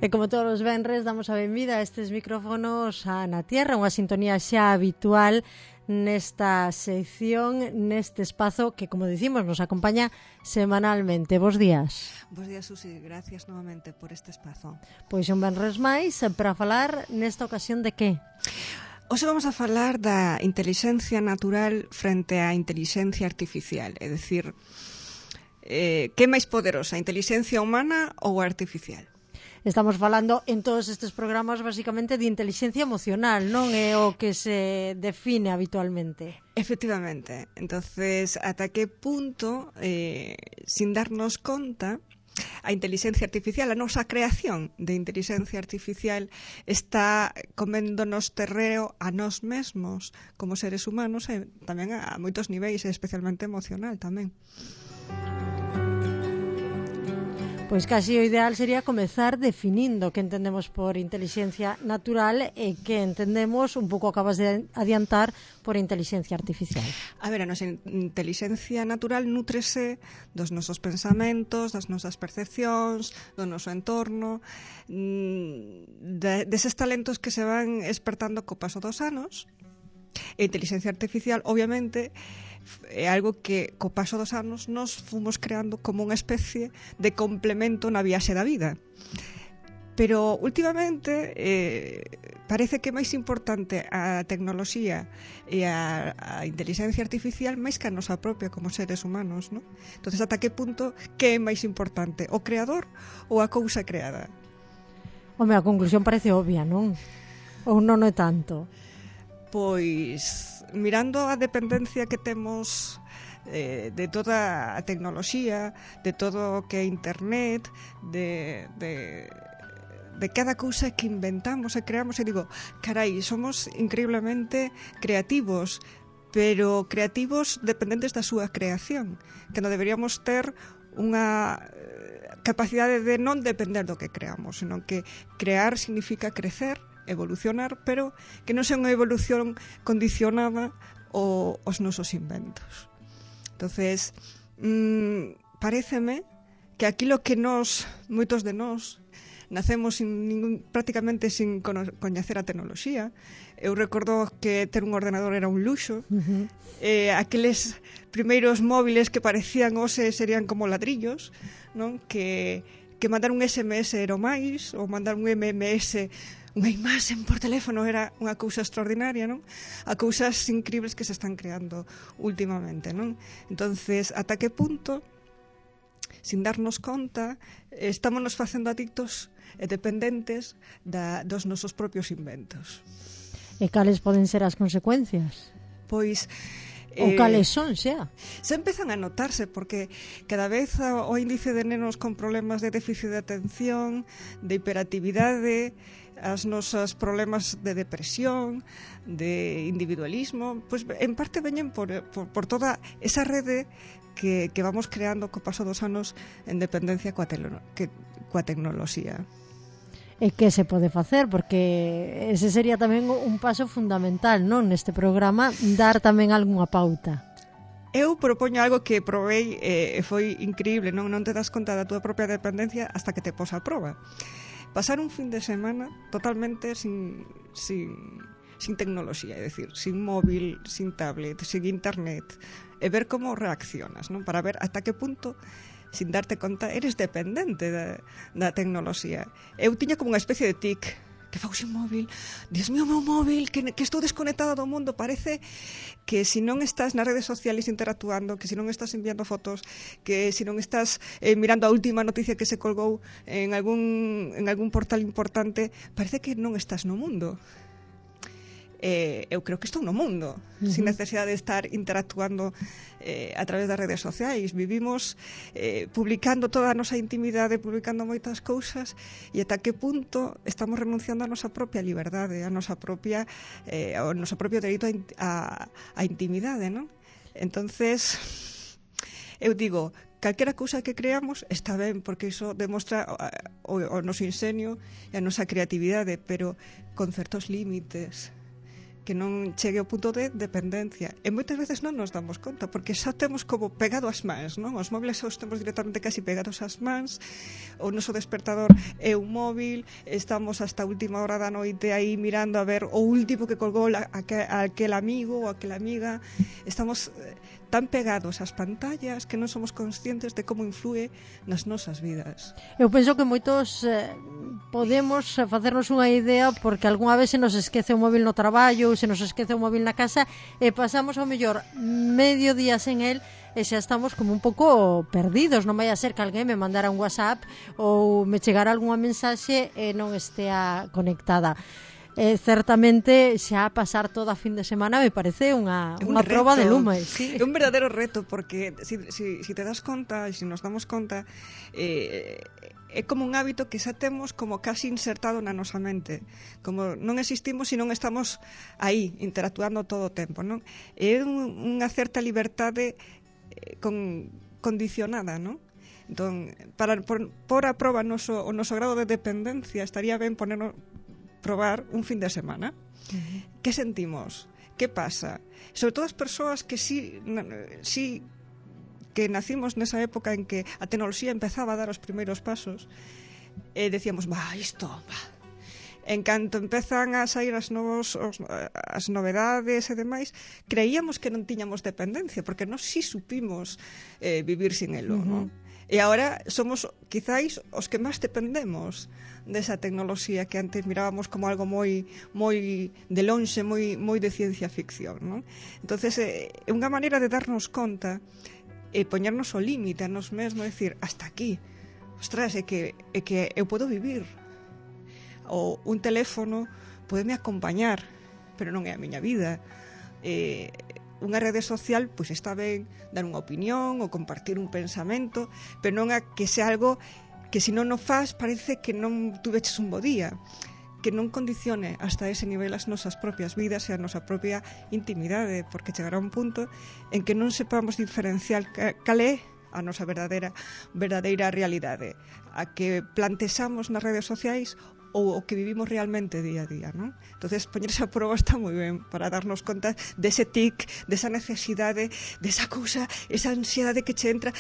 E como todos os venres, damos a benvida a estes micrófonos a Na Tierra, unha sintonía xa habitual nesta sección, neste espazo que, como dicimos, nos acompaña semanalmente. Bos días. Bos días, Susi. Gracias novamente por este espazo. Pois un venres máis para falar nesta ocasión de que? Hoxe vamos a falar da intelixencia natural frente á intelixencia artificial, é dicir, que é máis poderosa, a intelixencia humana ou a artificial? Estamos falando en todos estes programas basicamente de intelixencia emocional, non é o que se define habitualmente. Efectivamente. Entonces, ata que punto, sin darnos conta, a intelixencia artificial, a nosa creación de intelixencia artificial está coméndonos terreo a nós mesmos como seres humanos e tamén a moitos niveis, especialmente emocional tamén. Pois casi o ideal sería comezar definindo que entendemos por intelixencia natural e que entendemos, un pouco acabas de adiantar, por intelixencia artificial. A ver, a nosa intelixencia natural nútrese dos nosos pensamentos, das nosas percepcións, do noso entorno, deses talentos que se van espertando co paso dos anos. E a intelixencia artificial, obviamente, é algo que co paso dos anos nos fomos creando como unha especie de complemento na viaxe da vida. Pero últimamente parece que é máis importante a tecnoloxía e a intelixencia artificial máis que a nosa propia como seres humanos, non? Entonces, ata que punto que é máis importante, o creador ou a cousa creada? Home, a conclusión parece obvia, non? Ou non é tanto? Pois, mirando a dependencia que temos de toda a tecnoloxía, de todo o que é internet, de cada cousa que inventamos e creamos, e digo, carai, somos increíblemente creativos, pero creativos dependentes da súa creación, que non deberíamos ter unha capacidade de non depender do que creamos, senón que crear significa crecer, evolucionar, pero que non sea unha evolución condicionada aos nosos inventos. Entonces, paréceme que aquilo que moitos de nós, nacemos prácticamente sin coñecer a tecnoloxía. Eu recordo que ter un ordenador era un luxo. Aqueles primeiros móviles que parecían serían como ladrillos, non? Que mandar un SMS era o máis, ou mandar un MMS, unha imaxe por teléfono, era unha cousa extraordinaria, non? A cousas incríveis que se están creando últimamente, non? Entonces, ata que punto, sin darnos conta, estámonos facendo adictos e dependentes dos nosos propios inventos. E cales poden ser as consecuencias? Pois, ou cales son, xa? Se empezan a notarse, porque cada vez o índice de nenos con problemas de déficit de atención, de hiperactividade, as nosas problemas de depresión, de individualismo, pois en parte veñen por toda esa rede que vamos creando co paso dos anos en dependencia coa tecnoloxía. E que se pode facer? Porque ese sería tamén un paso fundamental, non, neste programa, dar tamén algunha pauta. Eu propoño algo que probei e foi increíble, non te das conta da túa propia dependencia hasta que te pos a proba. Pasar un fin de semana totalmente sin tecnoloxía, é dicir, sin móvil, sin tablet, sin internet, e ver como reaccionas, non? Para ver ata que punto, sin darte conta, eres dependente da tecnoloxía. Eu tiña como unha especie de tic, que fago sin móvil, Dios mío, meu móvil, que estou desconectada do mundo. Parece que se non estás nas redes sociales interactuando, que se non estás enviando fotos, que se non estás mirando a última noticia que se colgou en algún portal importante, parece que non estás no mundo. Eu creo que estou no mundo, sin necesidade de estar interactuando a través das redes sociais. Vivimos publicando toda a nosa intimidade, publicando moitas cousas, e ata que punto estamos renunciando a nosa propia liberdade, ao noso propio dereito a intimidade, non? Entonces, eu digo, calquera cousa que creamos está ben, porque iso demostra o noso ingenio e a nosa creatividade, pero con certos límites. que non chegue ao punto de dependencia. E moitas veces non nos damos conta, porque xa temos como pegado as mans, non? Os móviles xa os temos directamente casi pegados ás mans, o noso despertador é un móvil, estamos hasta a última hora da noite aí mirando a ver o último que colgou aquel amigo ou aquela amiga. Estamos tan pegados ás pantallas que non somos conscientes de como influe nas nosas vidas. Eu penso que moitos podemos facernos unha idea porque algunha vez se nos esquece o móvil no traballo ou se nos esquece o móvil na casa e pasamos ao mellor medio día sen el e xa estamos como un pouco perdidos. Non vai a ser que alguén me mandara un WhatsApp ou me chegara algunha mensaxe e non estea conectada. Certamente xa pasar toda a fin de semana me parece unha proba de lume, sí. É un verdadeiro reto porque si te das conta e si nos damos conta é como un hábito que xa temos como casi insertado na nosa mente, como non existimos se non estamos aí interactuando todo o tempo, non? É unha certa liberdade condicionada, non? Entón, para por a proba o noso grado de dependencia estaría ben probar un fin de semana. Que sentimos? Que pasa? Sobre todo as persoas que sí que nacimos nesa época en que a tecnoloxía empezaba a dar os primeiros pasos, decíamos, isto. En canto empezan a sair as novedades e demais, creíamos que non tiñamos dependencia, porque nós sí supimos vivir sin elo, non? E agora somos, quizáis, os que máis dependemos desa tecnoloxía que antes mirábamos como algo moi de lonxe, moi de ciencia ficción, non? Entonces, é unha maneira de darnos conta e poñernos o límite a nos mesmos, decir, hasta aquí. Ostras, é que eu podo vivir. Ou un teléfono podeme acompañar, pero non é a miña vida. Unha rede social, pois está ben dar unha opinión ou compartir un pensamento, pero non a que sea algo que se non o faz parece que non tuveches un bo día, que non condicione hasta ese nivel as nosas propias vidas e a nosa propia intimidade, porque chegará un punto en que non sepamos diferenciar cal é a nosa verdadeira realidade, a que plantexamos nas redes sociais ou o que vivimos realmente día a día, non? Entonces, poñerse a prova está moi ben para darnos conta dese tic, desa necesidade, desa cousa, esa ansiedade que che entra,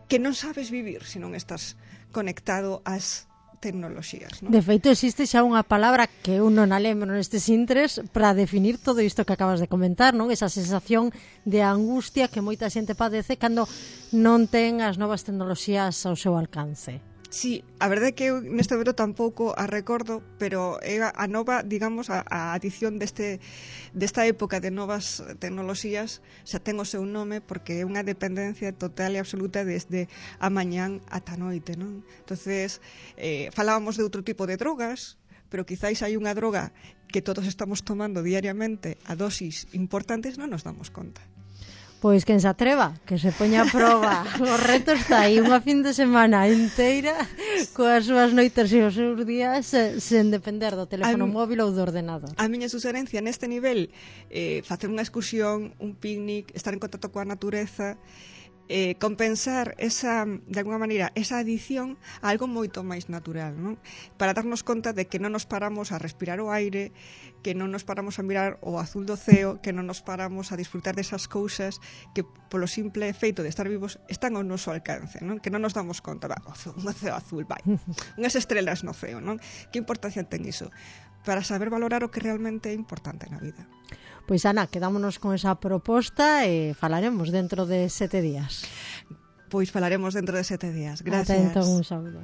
que non sabes vivir se non estás conectado ás tecnoloxías, non? De feito, existe xa unha palabra que eu non a lembro nestes intres para definir todo isto que acabas de comentar, non? Esa sensación de angustia que moita xente padece cando non ten as novas tecnoloxías ao seu alcance. Sí, a verdade é que eu neste momento tampouco a recordo, pero é a nova, digamos, a adición desta época de novas tecnoloxías xa ten o seu nome porque é unha dependencia total e absoluta desde a mañán ata a noite, non? Entonces, falábamos de outro tipo de drogas, pero quizáis hai unha droga que todos estamos tomando diariamente a dosis importantes, non nos damos conta. Pois quen se atreva, que se poña a proba. O reto está aí, unha fin de semana inteira coas súas noites e os seus días sen depender do teléfono móvil ou do ordenador. A miña suxerencia neste nivel, facer unha excursión, un picnic, estar en contacto coa natureza, compensar de alguma maneira esa adición a algo moito máis natural, non? Para darnos conta de que non nos paramos a respirar o aire, que non nos paramos a mirar o azul do ceo, que non nos paramos a disfrutar desas cousas que polo simple feito de estar vivos están ao noso alcance, non? Que non nos damos conta, un ceo azul, unhas estrelas no ceo, non? Que importancia ten iso? Para saber valorar o que realmente é importante na vida. Pois, Ana, quedámonos con esa proposta e falaremos dentro de 7 días. Pois falaremos dentro de 7 días. Gracias. Atento, un saúdo.